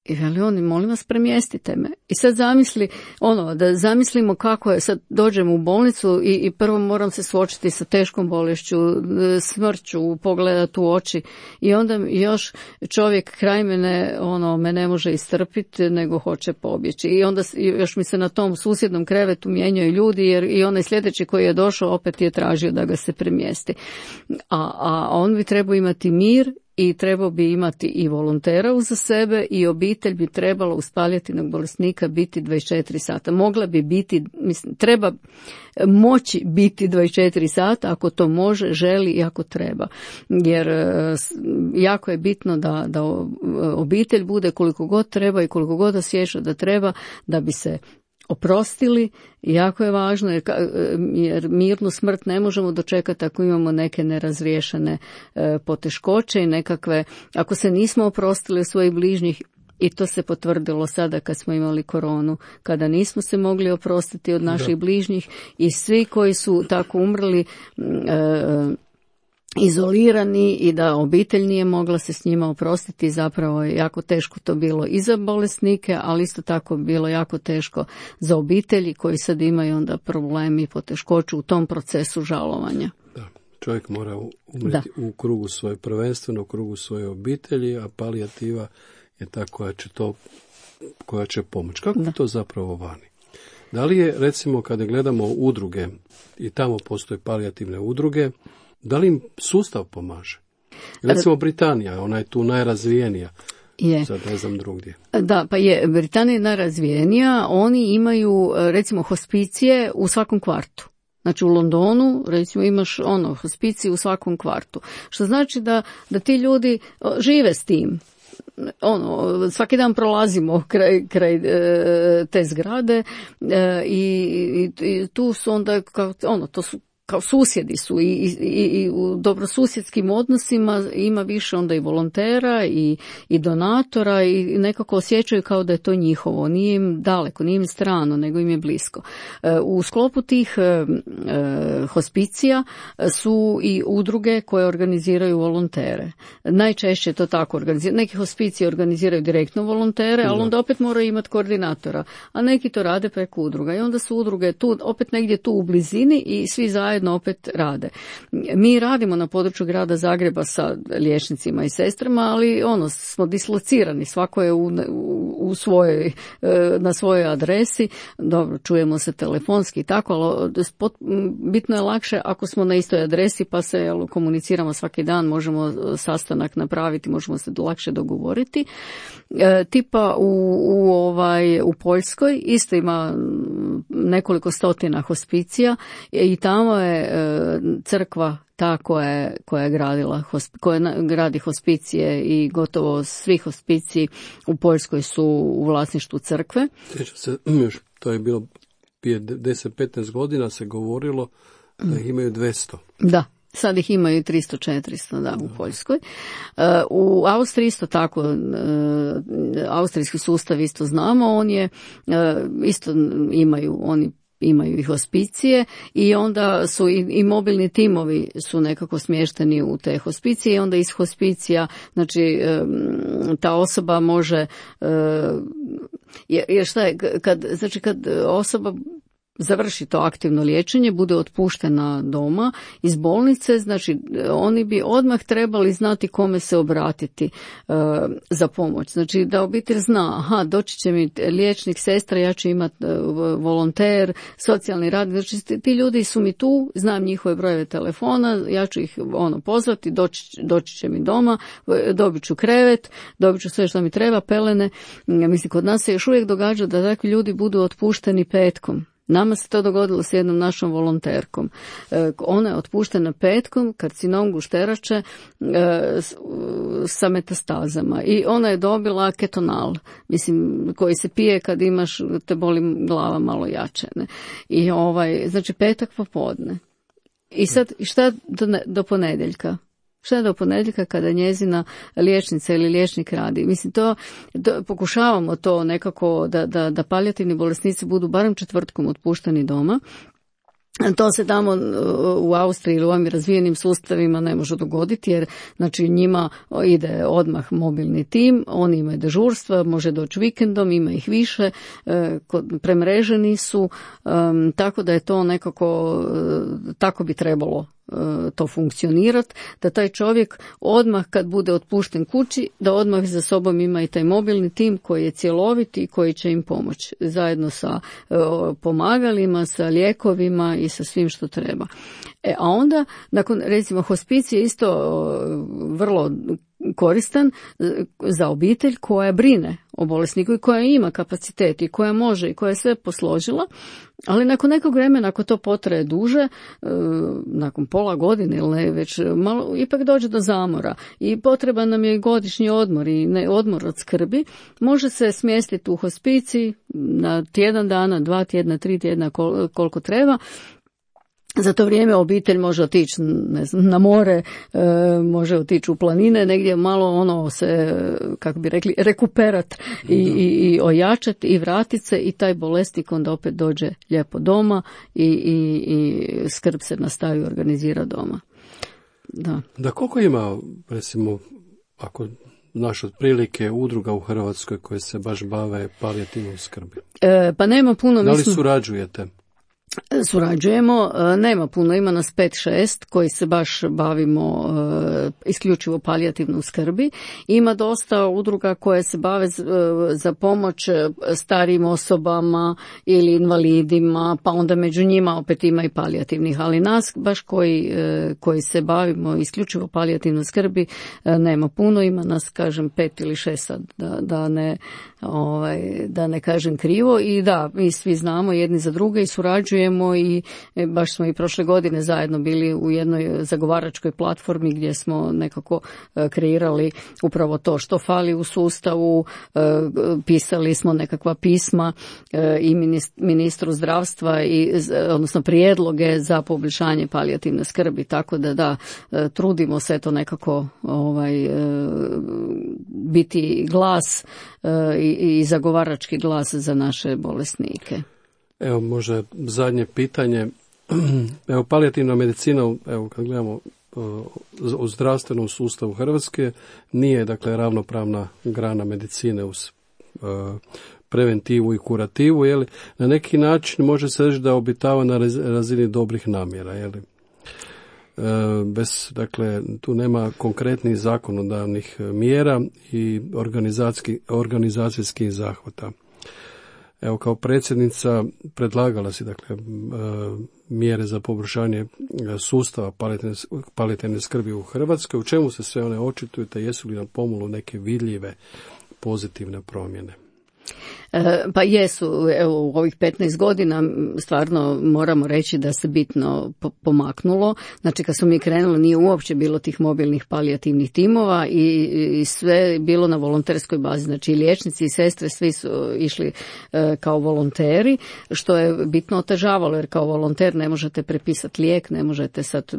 Speaker 3: I veli oni, molim vas, premjestite me. I sad da zamislimo kako je, sad dođem u bolnicu i prvo moram se suočiti sa teškom bolešću, smrću, pogledati u oči i onda još čovjek kraj mene, me ne može istrpiti, nego hoće pobjeći. I onda još mi se na tom susjednom krevetu mijenjaju ljudi, jer i onaj sljedeći koji je došao opet je tražio da ga se premjesti. A on bi trebao imati mir i trebao bi imati i volontera uza sebe i obitelj bi trebala uz palijativnog bolesnika biti 24 sata. Mogla bi biti, treba moći biti 24 sata ako to može, želi i ako treba. Jer jako je bitno da obitelj bude koliko god treba i koliko god osjeća da treba da bi se oprostili. Jako je važno jer mirnu smrt ne možemo dočekati ako imamo neke nerazriješene poteškoće i nekakve, ako se nismo oprostili od svojih bližnjih. I to se potvrdilo sada kad smo imali koronu, kada nismo se mogli oprostiti od naših bližnjih i svi koji su tako umrli izolirani i da obitelj nije mogla se s njima oprostiti, zapravo je jako teško to bilo i za bolesnike, ali isto tako bilo jako teško za obitelji koji sad imaju onda problemi i poteškoću u tom procesu žalovanja.
Speaker 2: Da, čovjek mora umreti u krugu svoje, prvenstveno u krugu svoje obitelji, a palijativa je ta koja će pomoći. Kako je to zapravo vani? Da li je, recimo, kada gledamo udruge i tamo postoje palijativne udruge, da li im sustav pomaže? Recimo Britanija, ona je tu najrazvijenija.
Speaker 3: Je.
Speaker 2: Sad ne znam drugdje.
Speaker 3: Da, pa je, Britanija je najrazvijenija, oni imaju recimo hospicije u svakom kvartu. Znači u Londonu recimo imaš hospiciju u svakom kvartu. Što znači da ti ljudi žive s tim. Svaki dan prolazimo kraj te zgrade i tu su onda to su kao susjedi su i u dobrosusjedskim odnosima ima više onda i volontera i donatora i nekako osjećaju kao da je to njihovo, nije im daleko, nije im strano, nego im je blisko. U sklopu tih hospicija su i udruge koje organiziraju volontere. Najčešće to tako organiziraju. Neki hospicije organiziraju direktno volontere, ali onda opet moraju imati koordinatora, a neki to rade preko udruga i onda su udruge tu, opet negdje tu u blizini i svi zajedno opet rade. Mi radimo na području grada Zagreba sa liječnicima i sestrama, ali smo dislocirani, svako je u svojoj, na svojoj adresi, dobro, čujemo se telefonski i tako, ali bitno je lakše ako smo na istoj adresi pa se komuniciramo svaki dan, možemo sastanak napraviti, možemo se lakše dogovoriti. Tipa u Poljskoj isto ima nekoliko stotina hospicija i tamo je crkva ta koja gradi hospicije i gotovo svi hospiciji u Poljskoj su u vlasništvu crkve.
Speaker 2: Sjećam se, to je bilo prije 10-15 godina se govorilo da ih imaju 200.
Speaker 3: Da. Sad ih imaju 300-400 u Poljskoj. U Austriji isto tako, austrijski sustav isto znamo, on je, isto oni imaju i hospicije i onda su i mobilni timovi su nekako smješteni u te hospicije i onda iz hospicija, znači ta osoba može, jer šta je, kad osoba završi to aktivno liječenje, bude otpuštena doma iz bolnice, znači oni bi odmah trebali znati kome se obratiti za pomoć. Znači da obitelj zna, doći će mi liječnik, sestra, ja ću imati volonter, socijalni radnik, znači ti ljudi su mi tu, znam njihove brojeve telefona, ja ću ih pozvati, doći će mi doma, dobit ću krevet, dobit ću sve što mi treba, pelene. Mislim, kod nas se još uvijek događa da takvi ljudi budu otpušteni petkom. Nama se to dogodilo s jednom našom volonterkom. Ona je otpuštena petkom, karcinom gušterače sa metastazama i ona je dobila ketonal, mislim, koji se pije kad imaš, te boli glava malo jače. Ne? I znači petak popodne. I sad, šta do ponedjeljka? Šta do ponedjeljka kada njezina liječnica ili liječnik radi? Mislim, to pokušavamo to nekako da palijativni bolesnici budu barem četvrtkom otpušteni doma. To se tamo u Austriji ili u ovim razvijenim sustavima ne može dogoditi, jer znači njima ide odmah mobilni tim, oni imaju dežurstva, može doći vikendom, ima ih više, premreženi su, tako da je to nekako, tako bi trebalo to funkcionirati, da taj čovjek odmah kad bude otpušten kući, da odmah za sobom ima i taj mobilni tim koji je cjelovit i koji će im pomoći zajedno sa pomagalima, sa lijekovima i sa svim što treba. A onda, nakon, recimo, hospicij je isto vrlo koristan za obitelj koja brine o bolesniku i koja ima kapacitet i koja može i koja je sve posložila, ali nakon nekog vremena, ako to potraje duže, nakon pola godine ili ne, već malo, ipak dođe do zamora i potreban nam je godišnji odmor i odmor od skrbi, može se smjestiti u hospicij na tjedan dana, 2 tjedna, 3 tjedna, koliko treba. Za to vrijeme obitelj može otići, ne znam, na more, može otići u planine, negdje malo se, kako bi rekli, rekuperat i ojačati i vratiti se i taj bolesnik onda opet dođe lijepo doma i skrb se nastavi organizira doma.
Speaker 2: Da, koliko ima, recimo, ako znaš otprilike udruga u Hrvatskoj koje se baš bave palijativnom skrbi?
Speaker 3: Pa nema puno.
Speaker 2: Da li surađujete?
Speaker 3: Surađujemo, nema puno, ima nas 5-6 koji se baš bavimo isključivo palijativnom skrbi. Ima dosta udruga koje se bave za pomoć starijim osobama ili invalidima, pa onda među njima opet ima i palijativnih, ali nas baš koji se bavimo isključivo palijativnom skrbi nema puno, ima nas, kažem, 5 ili 6 sad, da ne kažem krivo. I da, mi svi znamo jedni za druge i surađujemo i baš smo i prošle godine zajedno bili u jednoj zagovaračkoj platformi gdje smo nekako kreirali upravo to što fali u sustavu, pisali smo nekakva pisma i ministru zdravstva odnosno prijedloge za poboljšanje palijativne skrbi, tako da trudimo se to nekako biti glas i zagovarački glas za naše bolesnike.
Speaker 2: Evo, možda zadnje pitanje. Evo, palijativna medicina, evo, kad gledamo u zdravstvenom sustavu Hrvatske, nije, dakle, ravnopravna grana medicine uz preventivu i kurativu, je li? Na neki način može se reći da obitava na razini dobrih namjera, je li? Dakle, tu nema konkretnih zakonodavnih mjera i organizacijskih zahvata. Evo, kao predsjednica predlagala si, dakle, mjere za poboljšanje sustava palijativne skrbi u Hrvatskoj. U čemu se sve one očituju, te jesu li na pomolu neke vidljive pozitivne promjene?
Speaker 3: Pa jesu, evo, u ovih 15 godina stvarno moramo reći da se bitno pomaknulo. Znači, kad smo mi krenuli, nije uopće bilo tih mobilnih palijativnih timova i sve je bilo na volonterskoj bazi. Znači, i liječnici i sestre svi su išli kao volonteri, što je bitno otežavalo, jer kao volonter ne možete prepisati lijek, ne možete sad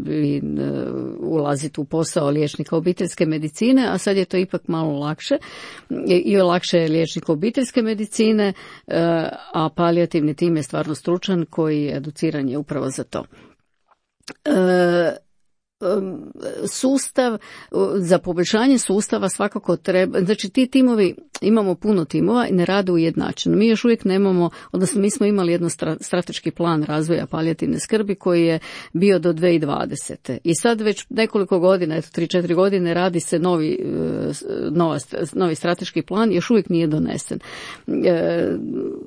Speaker 3: ulaziti u posao liječnika obiteljske medicine, a sad je to ipak malo lakše i lakše je liječnik obiteljske medicine, a palijativni tim je stvarno stručan koji educiran je upravo za to. Sustav, za poboljšanje sustava svakako treba, znači ti timovi, imamo puno timova i ne rade ujednačeno. Mi još uvijek nemamo, odnosno mi smo imali jedan strateški plan razvoja palijativne skrbi koji je bio do 2020. I sad već nekoliko godina, 3-4 godine radi se novi strateški plan, još uvijek nije donesen.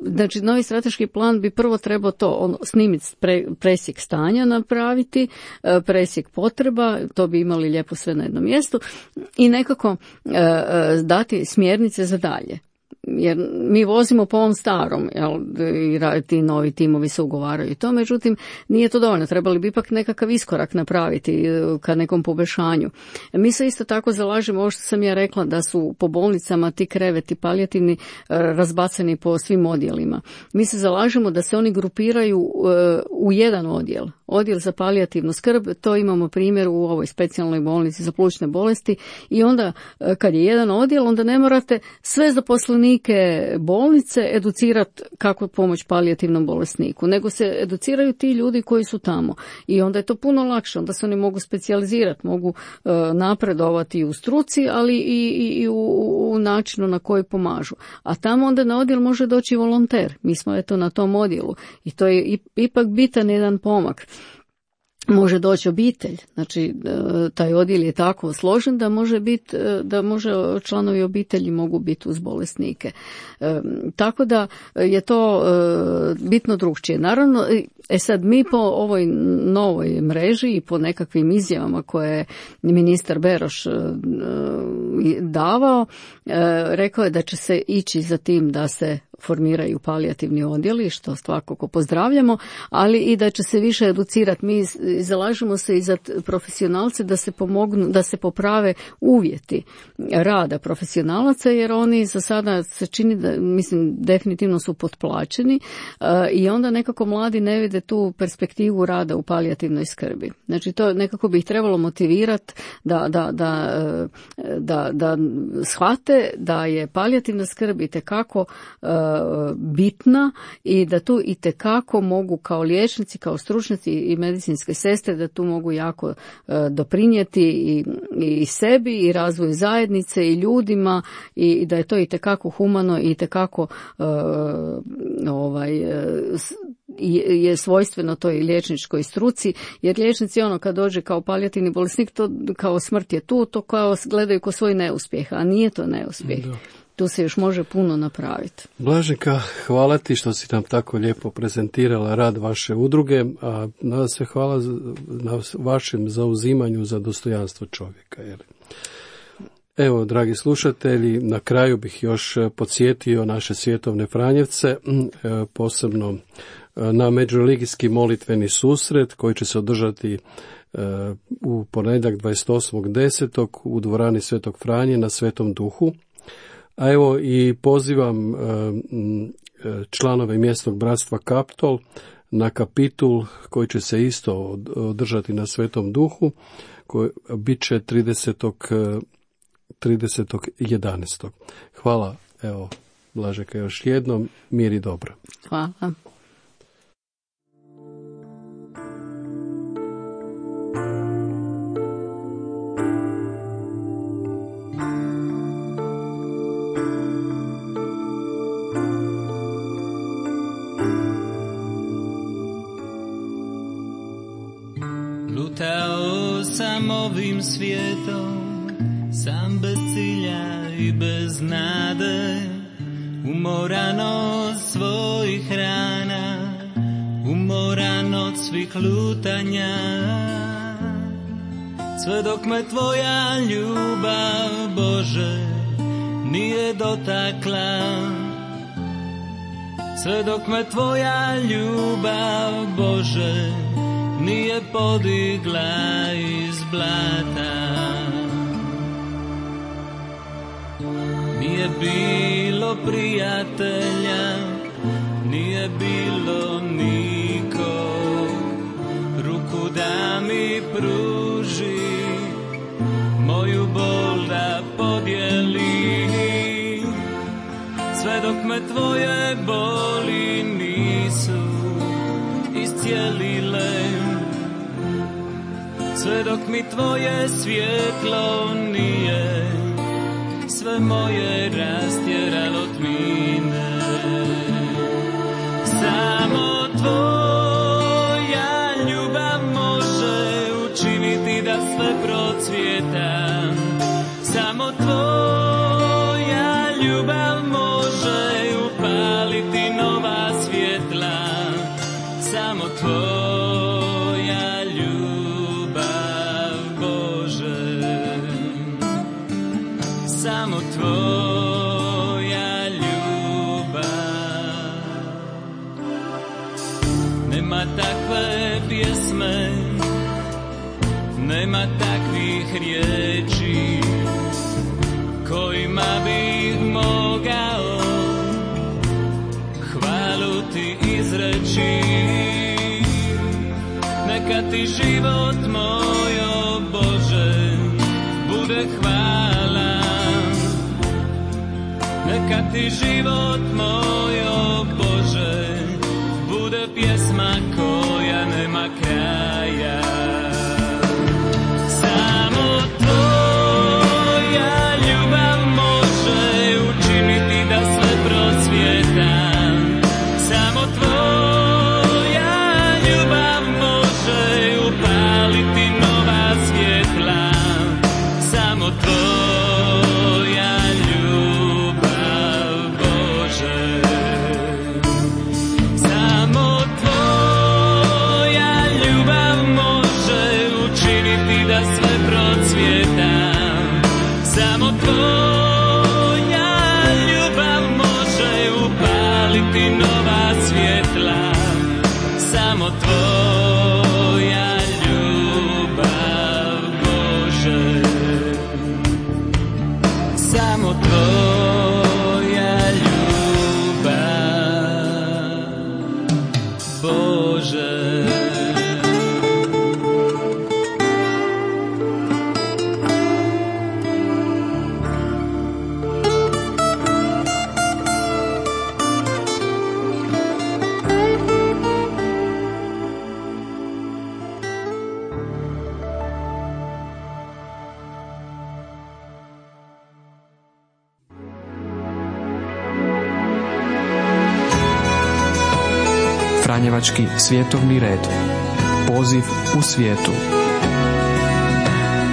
Speaker 3: Znači, novi strateški plan bi prvo trebao to snimiti, presjek stanja napraviti, presjek potreba, to bi imali lijepo sve na jednom mjestu i nekako dati smjernice za dalje. jer mi vozimo po ovom starom, i ti novi timovi se ugovaraju i to, međutim nije to dovoljno, trebali bi ipak nekakav iskorak napraviti ka nekom poboljšanju. Mi se isto tako zalažemo, ovo što sam ja rekla, da su po bolnicama ti kreveti palijativni razbacani po svim odjelima. Mi se zalažemo da se oni grupiraju u jedan odjel za palijativnu skrb. To imamo primjer u ovoj specijalnoj bolnici za plućne bolesti i onda kad je jedan odjel, onda ne morate sve zaposlenike bolnice educirati kako pomoć palijativnom bolesniku, nego se educiraju ti ljudi koji su tamo i onda je to puno lakše, onda se oni mogu specijalizirati, mogu napredovati u struci, ali i u načinu na koji pomažu. A tamo onda na odjel može doći volonter. Mi smo eto na tom odjelu i to je ipak bitan jedan pomak. Može doći obitelj, znači taj odjel je tako složen da može članovi obitelji mogu biti uz bolesnike. Tako da je to bitno drukčije. Naravno, sad mi po ovoj novoj mreži i po nekakvim izjavama koje je ministar Beroš davao, rekao je da će se ići za tim da se formiraju palijativni odjeli, što svakako pozdravljamo, ali i da će se više educirati. Mi zalažemo se i za profesionalce da se pomognu, da se poprave uvjeti rada profesionalaca, jer oni za sada se čini da, mislim, definitivno su potplaćeni i onda nekako mladi ne vide tu perspektivu rada u palijativnoj skrbi. Znači to nekako bi ih trebalo motivirati da shvate da je palijativna skrb itekako bitna i da tu itekako mogu kao liječnici, kao stručnjaci i medicinske sestre da tu mogu jako doprinijeti i sebi i razvoju zajednice i ljudima i da je to itekako humano i itekako je svojstveno toj liječničkoj struci, jer liječnici kad dođe kao palijativni bolesnik, to kao smrt je tu, to kao gledaju kao svoj neuspjeh, a nije to neuspjeh. Da. Tu se još može puno napraviti.
Speaker 2: Blaženka, hvala ti što si nam tako lijepo prezentirala rad vaše udruge, a nada se hvala na vašem zauzimanju za dostojanstvo čovjeka. Evo, dragi slušatelji, na kraju bih još podsjetio naše svjetovne Franjevce, posebno na međureligijski molitveni susret koji će se održati u ponedjeljak 28.10. u dvorani Svetog Franje na Svetom Duhu. A evo i pozivam članove mjesnog bratstva Kaptol na kapitul koji će se isto održati na Svetom Duhu, koji bit će 30.11. Hvala, evo, Blažeka još jednom, mir i dobro.
Speaker 3: Hvala.
Speaker 4: Lutao sam ovim svijetom, sam bez cilja i bez nade, umoran od svojih rana, umoran od svih lutanja. Sve dok me tvoja ljubav, Bože, nije dotakla, sve dok me tvoja ljubav, Bože, nije podigla iz blata. Nije bilo prijatelja, nije bilo niko, ruku da mi pruži, moju bol da podijeli. Sve dok me tvoje boli nisu iscijelile, sve dok mi tvoje svjetlo nije sve moje rastjeralo tmine. Samo tvoja ljubav može učiniti da sve procvjeta. Samo tvoja ljubav može upaliti nova svjetla. Samo tvoja ljubav, Bože, samo tvoja ljubav. nema takve pjesme, nema takvih riječi kojima bih mogao hvalu ti izreći. Neka ti život moj, o Bože, bude hvala. Neka ti život moj, o Bože, bude pjesma koja nema kraja. Samo tvoja ljubav može učiniti da sve procvjeta. Samo tvoja ljubav može upaliti nova svjetla. Samo tvoja ljubav, Bože. Samo tvoja ljubav može učiniti da sve procvjeta. Samo tvoja ljubav može upaliti nova svjetla. Samo tvoja ljubav, Bože. Samo tvoja ljubav, Bože.
Speaker 1: Franjevački svjetovni red. Poziv u svijetu.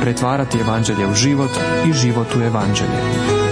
Speaker 1: Pretvarati evanđelje u život i život u evanđelje.